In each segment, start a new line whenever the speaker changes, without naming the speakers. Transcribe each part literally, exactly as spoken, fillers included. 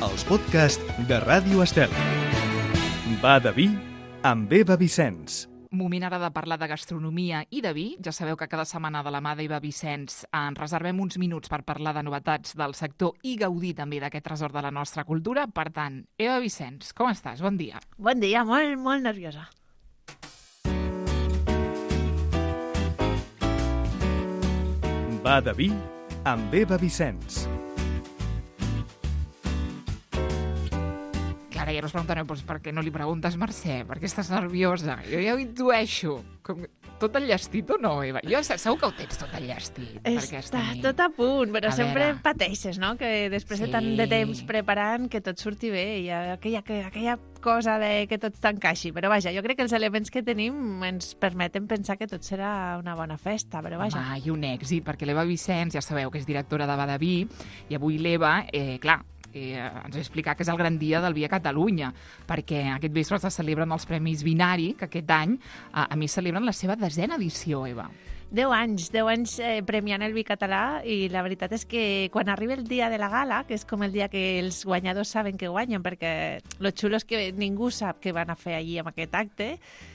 els podcasts de Ràdio Estel. Va de vi amb Eva Vicenç.
Moment ara de parlar de gastronomia i de vi. Ja sabeu que cada setmana de la mà d'Eva Vicenç ens reservem uns minuts per parlar de novetats del sector i gaudir també d'aquest tresor de la nostra cultura. Per tant, Eva Vicenç, com estàs? Bon dia.
Bon dia, molt, molt nerviosa.
Va de vi amb Eva Vicenç.
Clara, ja no us preguntareu doncs, per què no li preguntes, Mercè? Per què estàs nerviosa? Jo ja ho intueixo. Com... Tot enllestit o no, Eva? Jo segur que ho tens tot enllestit.
Està tot a punt, però
a
sempre
veure...
pateixes, no? Que després
Sí.
de tant de temps preparant que tot surti bé i aquella, aquella cosa de que tot t'encaixi. Però vaja, jo crec que els elements que tenim ens permeten pensar que tot serà una bona festa, però vaja.
Home, i un èxit, perquè l'Eva Vicenç, ja sabeu que és directora de Badaví, i avui l'Eva, eh, clar, Eh, ens va explicar que és el gran dia del vi a Catalunya, perquè aquest vespre se celebren els Premis Vinari, que aquest any a, a més celebren la seva desena edició, Eva.
Deu anys, deu anys eh, premiant el vi català, i la veritat és que quan arriba el dia de la gala, que és com el dia que els guanyadors saben que guanyen, perquè lo xulo és que ningú sap què van a fer allí amb aquest acte,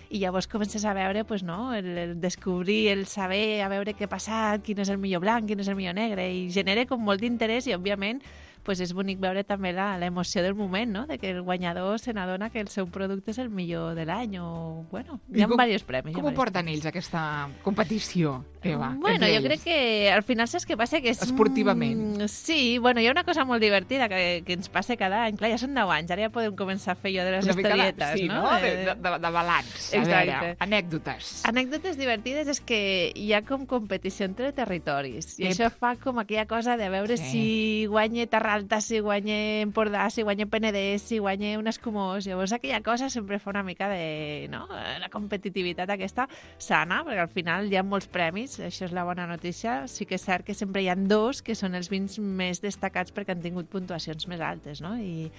i llavors comences a veure, pues, no, el, el descobrir, el saber, a veure què ha passat, quin és el millor blanc, quin és el millor negre, i genera com molt d'interès, i òbviament pues és bonic veure també l'emoció del moment, no? De que el guanyador se n'adona que el seu producte és el millor de l'any, o, bueno, hi ha diversos premis.
Com ho porten ells, aquesta competició, Eva?
Bueno, jo crec que al final saps què passa? Que és...
Esportivament.
Sí, bueno, hi ha una cosa molt divertida que, que ens passa cada any. Clar, ja són deu anys, ara ja podem començar a fer jo de les historietes,
sí,
no?
no? De, de, de, de balanç. A veure, anècdotes.
Anècdotes divertides és que hi ha com competició entre territoris, i
Ep.
això fa com aquella cosa de veure
Sí.
si guanya Terralta, si guanya Empordà, si guanya Penedès, si guanya un escumós. Llavors aquella cosa sempre fa una mica de... no? La competitivitat aquesta sana, perquè al final hi ha molts premis, això és la bona notícia. Sí que és cert que sempre hi ha dos que són els vins més destacats perquè han tingut puntuacions més altes, no? I,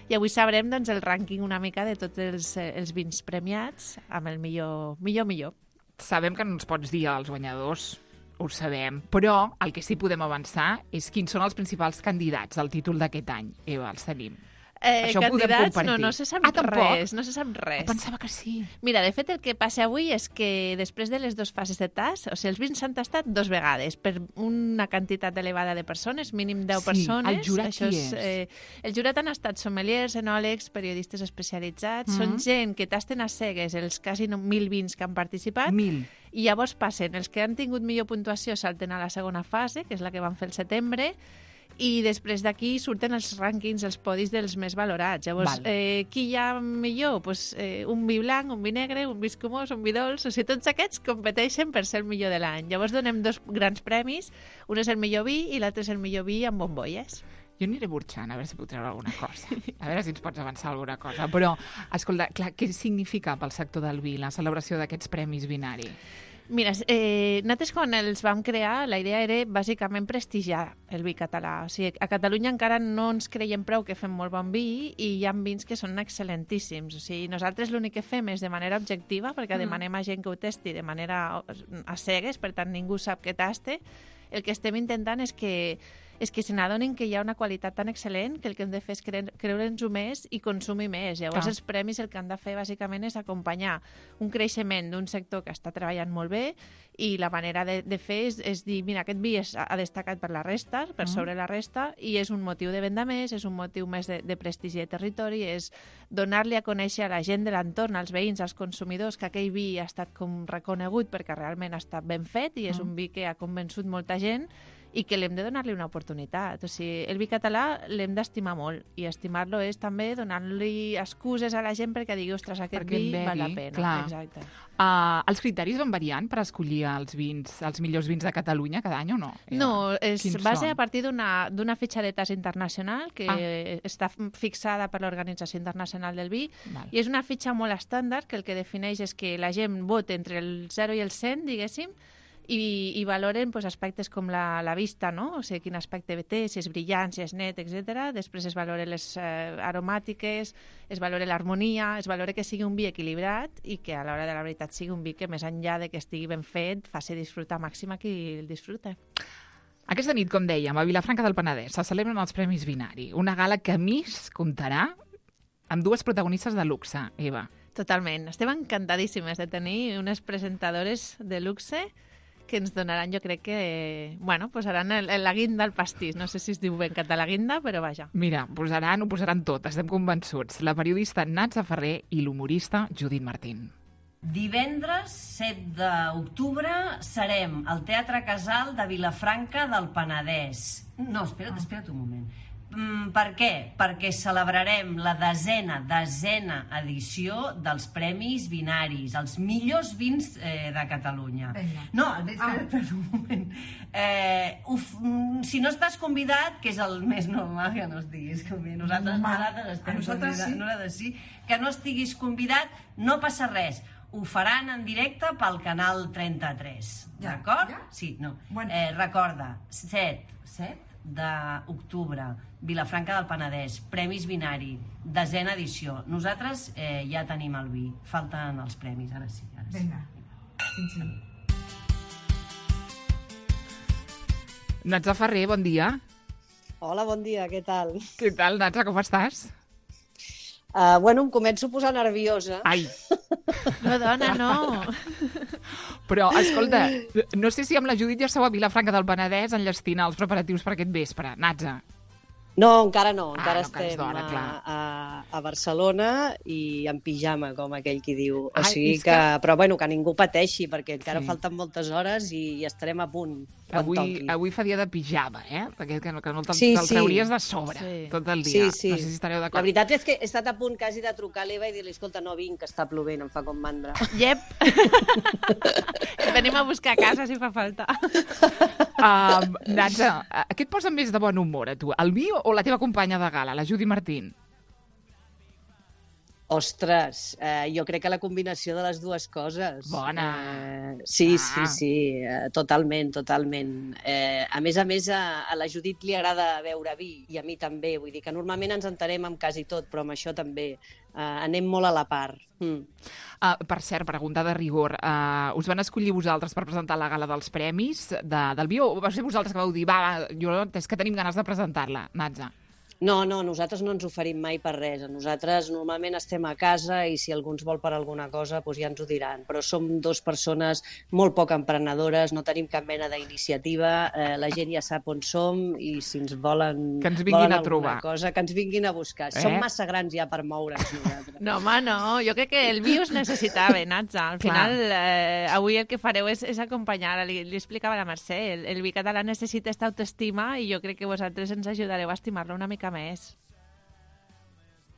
i avui sabrem doncs, el rànquing una mica de tots els, els vins premiats amb el millor, millor, millor.
Sabem que no ens pots dir els guanyadors, ho sabem, però el que sí podem avançar és quins són els principals candidats al títol d'aquest any. Eva, els tenim.
Eh,
Això ho podem
candidats,
compartir.
no, no se sap
Ah, tampoc?
res, no se sap res.
Pensava que sí.
Mira, de fet, el que passa avui és que després de les dues fases de tast, o sigui, els vins s'han tastat dos vegades per una quantitat elevada de persones, mínim deu
Sí,
persones.
el jurat
Això
qui
és,
és?
eh, el jurat han estat sommeliers, enòlegs, periodistes especialitzats,
Mhm.
són gent que tasten a cegues els quasi no- mil vins que han participat,
Mil.
i llavors passen, els que han tingut millor puntuació salten a la segona fase, que és la que van fer el setembre, i després d'aquí surten els rànquings, els podis dels més valorats. Llavors,
Val.
eh, qui hi ha millor? Pues, eh, un vi blanc, un vi negre, un vi escumós, un vi dolç... O sigui, tots aquests competeixen per ser el millor de l'any. Llavors donem dos grans premis, un és el millor vi i l'altre és el millor vi amb bombolles.
Jo aniré burxant, a veure si puc treure alguna cosa. A veure si ens pots avançar alguna cosa. Però, escolta, clar, què significa pel sector del vi la celebració d'aquests Premis Vinari?
Mira, eh, nosaltres quan els vam crear la idea era bàsicament prestigiar el vi català. O sigui, a Catalunya encara no ens creiem prou que fem molt bon vi i hi ha vins que són excel·lentíssims. O sigui, nosaltres l'únic que fem és de manera objectiva, perquè demanem a gent que ho testi de manera a cegues, per tant ningú sap què taste. El que estem intentant és que és que se n'adonin que hi ha una qualitat tan excel·lent que el que hem de fer és cre creure'ns-ho més i consumir més. Llavors,
Clar.
els premis el que han de fer bàsicament és acompanyar un creixement d'un sector que està treballant molt bé, i la manera de, de fer és, és dir, mira, aquest vi és, ha destacat per la resta, per sobre la resta, i és un motiu de venda més, és un motiu més de, de prestigi de territori, és donar-li a conèixer a la gent de l'entorn, als veïns, als consumidors, que aquell vi ha estat com reconegut perquè realment ha estat ben fet i és un vi que ha convençut molta gent, i que l'hem de donar-li una oportunitat. O sigui, el vi català l'hem d'estimar molt, i estimar-lo és també donar-li excuses a la gent perquè digui, ostres, aquest
Perquè
vi
en
val la
begui,
pena.
clar.
Exacte.
Uh, els criteris van variant per escollir els vins, els millors vins de Catalunya cada any o no? Eva?
No, es
Quins
basa
són?
a partir d'una d'una fitxa de tast internacional que
Ah.
està fixada per l'Organització Internacional del Vi,
Val.
i és una fitxa molt estàndard que el que defineix és que la gent vota entre el zero i el cent, diguéssim, i, i valoren pues, aspectes com la, la vista, no? O sigui, quin aspecte té, si és brillant, si és net, etcètera. Després es valoren les eh, aromàtiques, es valora l'harmonia, es valora que sigui un vi equilibrat i que a l'hora de la veritat sigui un vi que més enllà de que estigui ben fet faci disfrutar màxim a qui el disfruta.
Aquesta nit, com dèiem, a Vilafranca del Penedès se celebren els Premis Binari, una gala que a més comptarà amb dues protagonistes de luxe, Eva.
Totalment. Estem encantadíssimes de tenir unes presentadores de luxe que ens donaran, jo crec que, bueno, posaran el, el, la guinda al pastís. No sé si es diu ben català la guinda, però vaja.
Mira, posaran, ho posaran tot, estem convençuts. La periodista Natza Ferrer i l'humorista Judit Martín.
Divendres set d'octubre serem al Teatre Casal de Vilafranca del Penedès. No, espera't, espera't un moment. Mm, per què? Perquè celebrarem la desena, desena edició dels Premis Binaris, els millors vins eh, de Catalunya. Venga. No, espera't ah. un moment. Eh, uf, si no estàs convidat, que és el més normal que no estiguis convidat, nosaltres, nosaltres estem nosaltres convidats, sí. Nosaltres sí, que no estiguis convidat, no passa res. Ho faran en directe pel canal trenta-tres, ja, d'acord? Ja? Sí, no. Bueno. Eh, recorda, set, set d'octubre, Vilafranca del Penedès, Premis Binari, desena edició. Nosaltres eh, ja tenim el vi, falten els premis, ara sí. Ara sí. Vinga. Sí.
Natza Ferrer, bon dia.
Hola, bon dia, què tal?
Què tal, Natza, com estàs?
Uh, bueno, em començo a posar nerviosa.
Ai!
No, dona, no!
Però, escolta, no sé si amb la Judit ja esteu a Vilafranca del Penedès enllestina els preparatius per aquest vespre. Natza.
No, encara no. Encara
ah, no,
estem
d'hora,
a, a, a Barcelona i en pijama, com aquell qui diu. O
Ai,
sigui que... que... Però bueno, que ningú pateixi, perquè encara sí. falten moltes hores i, i estarem a punt.
Avui, avui fa dia de pijama, eh? Perquè que, que no te'l sí, te sí. trauries de sobre sí. tot el dia.
Sí, sí.
No sé si estareu d'acord.
La veritat és que he estat a punt quasi de trucar a l'Eva i dir-li, escolta, no vinc, que està plovent, em fa com mandra.
Yep. Venim a buscar a casa si fa falta.
Um, Natza, què et posa més de bon humor a tu? El vi o la teva companya de gala, la Judit Martín?
Ostres, eh, jo crec que la combinació de les dues coses.
Bona!
Eh, sí, ah. sí, sí, eh, totalment, totalment. Eh, a més a més, a, a la Judit li agrada beure vi, i a mi també. Vull dir que normalment ens entenem amb quasi tot, però amb això també. Eh, anem molt a la part. Mm.
Uh, per cert, pregunta de rigor. Uh, us van escollir vosaltres per presentar la gala dels premis de, del vi, o va ser vosaltres que vau dir, va, jo, és que tenim ganes de presentar-la, Natza?
No, no, nosaltres no ens oferim mai per res. Nosaltres normalment estem a casa i si algú ens vol per alguna cosa doncs ja ens ho diran. Però som dues persones molt poc emprenedores, no tenim cap mena d'iniciativa, eh, la gent ja sap on som i si ens volen,
que ens vinguin
volen
a trobar.
Cosa, que ens vinguin a buscar. Eh? Som massa grans ja per moure'ns nosaltres.
No, home, no. Jo crec que el vi us necessitava, Natza. Al Clar. final, eh, avui el que fareu és, és acompanyar. Li, li explicava a la Mercè, el, el vi català necessita aquesta autoestima i jo crec que vosaltres ens ajudareu a estimar-lo una mica més.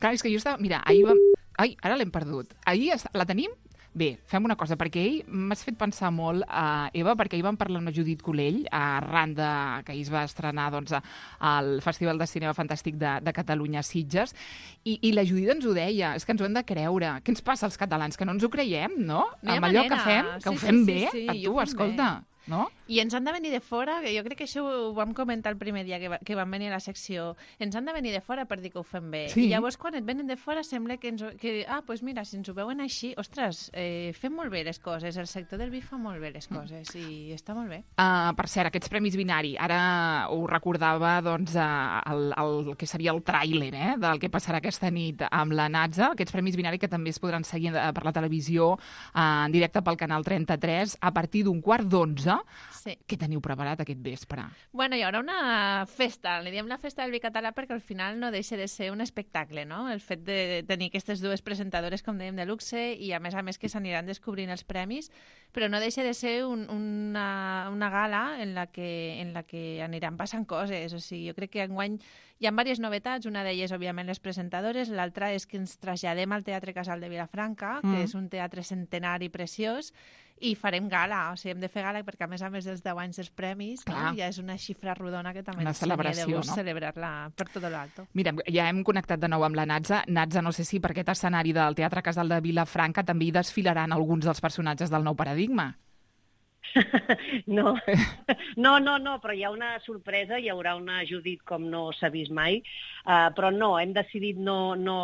Clar, és que jo estava... Mira, ahir vam... Ai, ara l'hem perdut. Ahir est... la tenim? Bé, fem una cosa, perquè ell m'has fet pensar molt, uh, Eva, perquè ahir vam parlar amb la Judit Colell, arran de que ahir es va estrenar doncs, al Festival de Cinema Fantàstic de, de Catalunya a Sitges, i, i la Judit ens ho deia, és que ens ho hem de creure. Què ens passa als catalans? Que no ens ho creiem, no?
no
amb allò
manera.
que fem, que
sí,
ho fem
sí,
bé,
sí, sí,
a tu, escolta... Bé. No?
I ens han de venir de fora, que jo crec que això ho vam comentar el primer dia que, va, que vam venir a la secció, ens han de venir de fora per dir que ho fem bé.
Sí.
I llavors quan et venen de fora sembla que, ens, que ah, doncs mira, si ens ho veuen així, ostres, eh, fem molt bé les coses, el sector del vi fa molt bé les coses mm. i està molt bé.
Uh, per cert, aquests Premis Binari, ara ho recordava doncs, uh, el, el que seria el tràiler eh, del que passarà aquesta nit amb la Natza, aquests Premis Binari que també es podran seguir uh, per la televisió uh, en directe pel canal trenta-tres a partir d'un quart d'onze. Sí. Què teniu preparat aquest vespre?
Bueno, hi haurà una festa, li diem la festa del vi català perquè al final no deixa de ser un espectacle, no? El fet de tenir aquestes dues presentadores, com dèiem, de luxe i a més a més que s'aniran descobrint els premis, però no deixa de ser un, una, una gala en la, que, en la que aniran passant coses. O sigui, jo crec que enguany hi ha diverses novetats, una d'elles, òbviament, les presentadores, l'altra és que ens traslladem al Teatre Casal de Vilafranca, mm. que és un teatre centenari preciós, i farem gala, o sigui, hem de fer gala perquè a més a més dels deu anys dels premis no? Ja és una xifra rodona que també ens seria de gust no? celebrar-la per tot l'alto.
Mira, ja hem connectat de nou amb la Natza. Natza, no sé si per aquest escenari del Teatre Casal de Vilafranca també hi desfilaran alguns dels personatges del nou paradigma.
No. no, no, no, però hi ha una sorpresa, hi haurà una Judit com no s'ha vist mai, uh, però no, hem decidit no, no,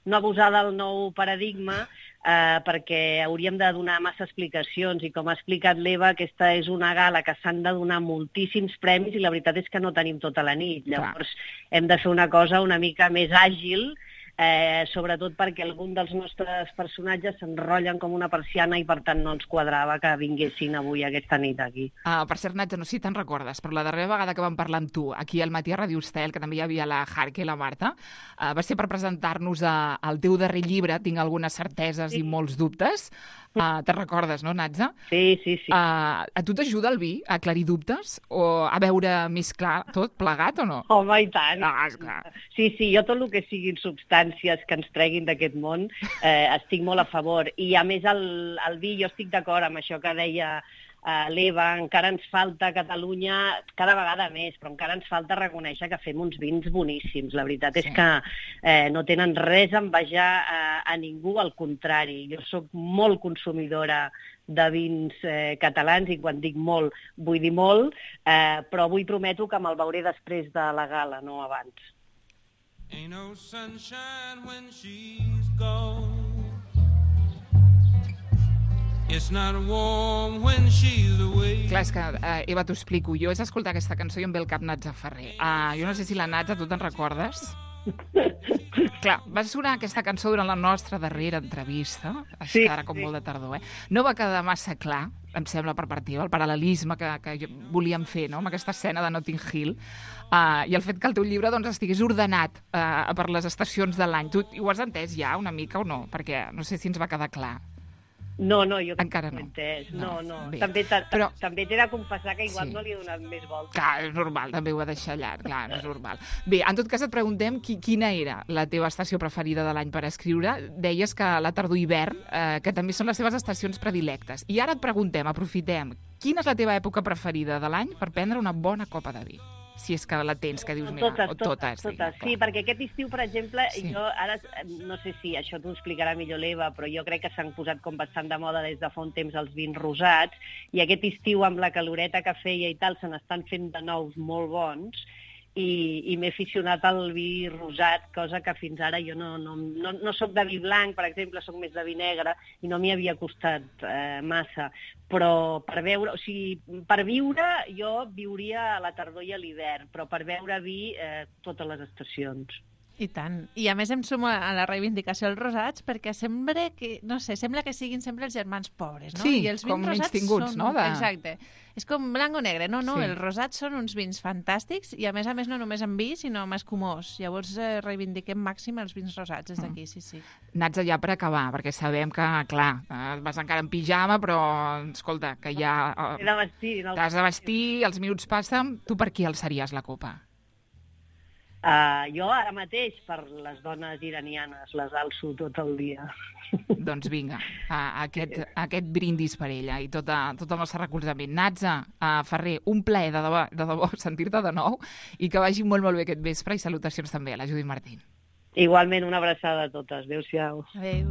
no abusar del nou paradigma uh, perquè hauríem de donar massa explicacions i com ha explicat l'Eva, aquesta és una gala que s'han de donar moltíssims premis i la veritat és que no tenim tota la nit, llavors Clar. hem de fer una cosa una mica més àgil, Eh, sobretot perquè algun dels nostres personatges s'enrotllen com una persiana i per tant no ens quadrava que vinguessin avui aquesta nit aquí.
Uh, per cert, Natza, no sé si te'n recordes, però la darrera vegada que vam parlar amb tu aquí al Matí a Ràdio Estel, que també hi havia la Jarque i la Marta, uh, va ser per presentar-nos uh, el teu darrer llibre, Tinc algunes certeses sí. i molts dubtes. Uh, te'n recordes, no, Natza?
Sí, sí, sí.
Uh, a tu t'ajuda el vi a aclarir dubtes o a veure més clar tot plegat o no?
Home, i tant.
Ah, esclar.
Sí, sí, jo tot el que siguin substàncies que ens treguin d'aquest món eh, estic molt a favor. I a més el, el vi, jo estic d'acord amb això que deia Uh, l'Eva, encara ens falta a Catalunya, cada vegada més, però encara ens falta reconèixer que fem uns vins boníssims. La veritat sí. és que eh, no tenen res a envejar uh, a ningú, al contrari. Jo sóc molt consumidora de vins eh, catalans, i quan dic molt, vull dir molt, eh, però avui prometo que me'l veuré després de la gala, no abans. Ain't no sunshine when she's gone. It's not warm when she's away. Clar, és que, uh, Eva, t'ho explico. Jo és escoltar aquesta cançó i em ve el cap Natza Ferrer. Uh, jo no sé si la Natza, tu te'n recordes? Clar, va sonar aquesta cançó durant la nostra darrera entrevista, sí, ara com sí. molt de tardor, eh? No va quedar massa clar, em sembla, per part teva, el paral·lelisme que, que volíem fer, no?, amb aquesta escena de Notting Hill, uh, i el fet que el teu llibre doncs, estigués ordenat uh, per les estacions de l'any. Tu ho has entès ja una mica o no? Perquè no sé si ens va quedar clar. No, no, jo
encara no.
Entès. No, no. no. També t'he Però... de confessar que igual sí. no li he donat més voltes.
Clar, és normal, també ho ha deixat llarg, clar, és normal. Bé, en tot cas et preguntem qui, quina era la teva estació preferida de l'any per escriure. Deies que la tardor-hivern, eh, que també són les teves estacions predilectes. I ara et preguntem, aprofitem, quina és la teva època preferida de l'any per prendre una bona copa de vi? Si és que la tens, que dius, mira,
totes,
o
totes.
totes,
totes. Sí, perquè aquest estiu, per exemple, sí. jo ara, no sé si això t'ho explicarà millor l'Eva, però jo crec que s'han posat com bastant de moda des de fa un temps els vins rosats, i aquest estiu, amb la caloreta que feia i tal, se n'estan fent de nous molt bons, i, i m'he aficionat al vi rosat, cosa que fins ara jo no, no, no, no soc de vi blanc, per exemple, soc més de vi negre, i no m'hi havia costat eh, massa. Però per veure, o sigui, per viure, jo viuria a la tardor i a l'hivern, però per veure vi, eh, totes les estacions.
I tant. I a més em sumo a la reivindicació dels rosats perquè sembla que, no sé, sembla que siguin sempre els germans pobres, no?
Sí,
I els
com menys tinguts,
són...
no? De...
Exacte. És com blanc o negre. No, no,
sí.
els rosats són uns vins fantàstics i a més a més no només en vi, sinó amb escumós. Llavors eh, reivindiquem màxim els vins rosats des d'aquí, sí, sí.
Natza, ja per acabar, perquè sabem que, clar, vas encara en pijama, però, escolta, que ja...
He de vestir. No?
T'has de vestir, els minuts passen, tu per qui alçaries la copa?
Uh, jo ara mateix per les dones iranianes les alço tot el dia.
Doncs vinga, uh, aquest, aquest brindis per ella i tot, a, tot el nostre recolzament. Natza, uh, Ferrer, un plaer de debò, de debò sentir-te de nou i que vagi molt molt bé aquest vespre i salutacions també a la Judit Martín.
Igualment, una abraçada a totes. Adéu-siau.
Adéu.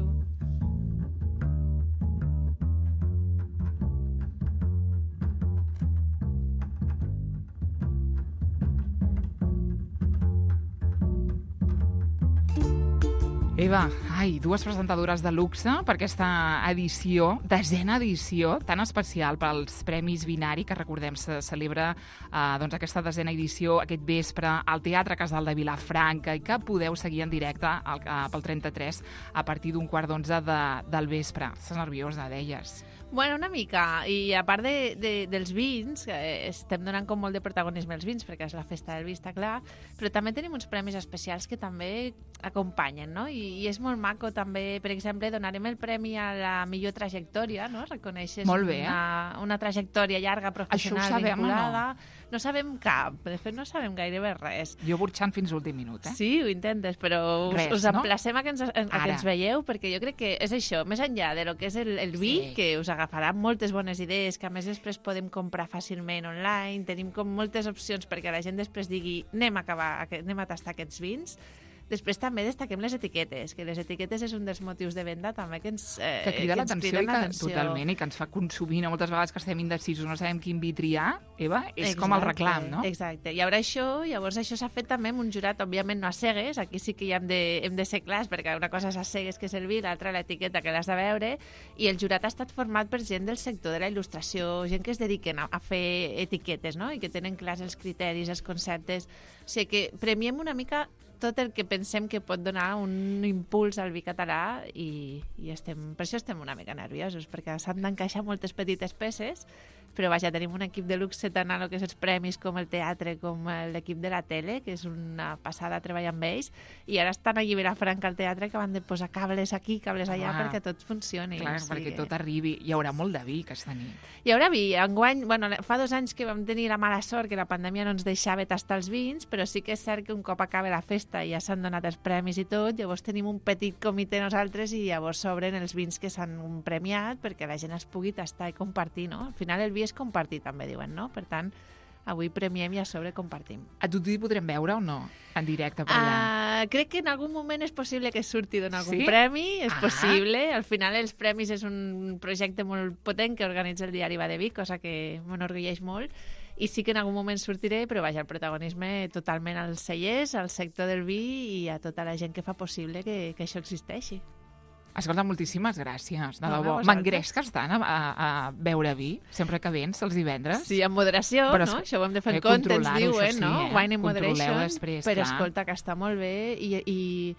Eva, ai, dues presentadores de luxe per aquesta edició, desena edició, tan especial pels Premis Binari, que recordem se celebra eh, doncs aquesta desena edició aquest vespre al Teatre Casal de Vilafranca i que podeu seguir en directe al, pel trenta-tres a partir d'un quart d'onze de, del vespre. Estàs nerviosa, deies.
Bueno, una mica. I a part de, de, dels vins, que estem donant com molt de protagonisme als vins, perquè és la festa del vi, està clar, però també tenim uns premis especials que també acompanyen, no? I, i és molt maco també, per exemple, donarem el premi a la millor trajectòria, no? Reconeixes
molt bé, eh?
una, una trajectòria llarga, professional,
això ho sabem,
vinculada.
No?
No sabem cap, de fet no sabem gairebé res.
Jo burxant fins l'últim minut, eh?
Sí, ho intentes, però us,
res,
us emplacem no? a, que ens, a que ens veieu, perquè jo crec que és això, més enllà de lo que és el, el vi, sí. que us agafarà moltes bones idees, que a més després podem comprar fàcilment online, tenim com moltes opcions perquè la gent després digui anem a acabar, anem a tastar aquests vins. Després també destaquem les etiquetes, que les etiquetes és un dels motius de venda també que ens eh,
que crida
que ens
l'atenció
criden
i que,
l'atenció.
totalment, i que ens fa consumir, no? Moltes vegades que estem indecisos, no sabem quin vi triar, Eva, és com el reclam, no?
Exacte. I ara això, llavors això s'ha fet també amb un jurat, òbviament no a cegues, aquí sí que ja hem de, hem de ser clars, perquè una cosa és a cegues que és el vi, l'altra l'etiqueta que l'has de veure, i el jurat ha estat format per gent del sector de la il·lustració, gent que es dediquen a, a fer etiquetes, no? I que tenen clars els criteris, els conceptes. O sigui que premiem una mica tot el que pensem que pot donar un impuls al vi català i, i estem, per això estem una mica nerviosos, perquè s'han d'encaixar moltes petites peces, però vaja, tenim un equip de luxe tant a lo que és els premis com el teatre com l'equip de la tele, que és una passada treballar amb ells, i ara estan allí a Vilafranca al teatre que van de posar cables aquí, cables allà,
Ah,
perquè tot funcioni.
Clar,
o sigui
perquè
que-
tot arribi. Hi haurà molt de vi aquesta nit.
Hi haurà vi. Enguany, bueno, fa dos anys que vam tenir la mala sort que la pandèmia no ens deixava tastar els vins, però sí que és cert que un cop acaba la festa i ja s'han donat els premis i tot, llavors tenim un petit comitè nosaltres i llavors s'obren els vins que s'han premiat perquè la gent els pugui tastar i compartir, no? Al final el vi és compartir, també diuen, no? Per tant, avui premiem i a sobre compartim.
A tu t'hi podrem veure o no? En directe per allà.
Uh, crec que en algun moment és possible que surti d'un algun
Sí?
premi, és
Ah.
possible. Al final els premis és un projecte molt potent que organitza el diari Va de Vi, cosa que m'enorgulleix molt, i sí que en algun moment sortiré, però vaja, el protagonisme totalment als cellers, al sector del vi i a tota la gent que fa possible que, que això existeixi.
Escolta, moltíssimes gràcies, de
No, a
debò.
vosaltres.
M'engresques tant a, a, a beure vi, sempre que vens, els divendres?
Sí, amb moderació,
Però
no?
es-
Això ho hem de fer
eh,
en compte, ens
controlar-ho,
diuen,
això sí,
no?
eh?
Wine in
Controleu
moderation,
després,
però
clar.
escolta, que està molt bé i... i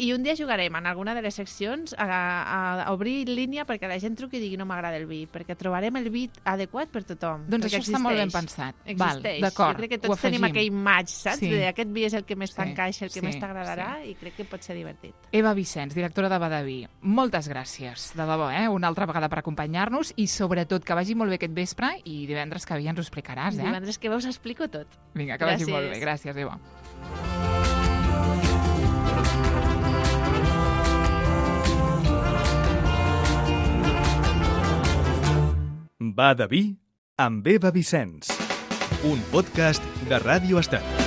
I un dia jugarem en alguna de les seccions a, a, a obrir línia perquè la gent truqui i digui no m'agrada el vi, perquè trobarem el vi adequat per tothom.
Doncs
perquè
això està molt ben
existeix.
pensat. Val,
Existeix.
d'acord,
Jo crec que
ho
tots tenim
afegim.
aquell match, saps?
Sí.
De aquest vi és el que més
Sí,
t'encaixa, el que
sí,
més t'agradarà
sí.
i crec que pot ser divertit.
Eva Vicenç, directora de Va de Vi, moltes gràcies, de debò, eh? Una altra vegada per acompanyar-nos i sobretot que vagi molt bé aquest vespre i divendres que ve ja ens ho explicaràs, eh?
Divendres que veus explico tot.
Vinga, que vagi
Gràcies.
molt bé. Gràcies, Eva.
Va de vi amb Eva Vicenç. Un podcast de Ràdio Estel.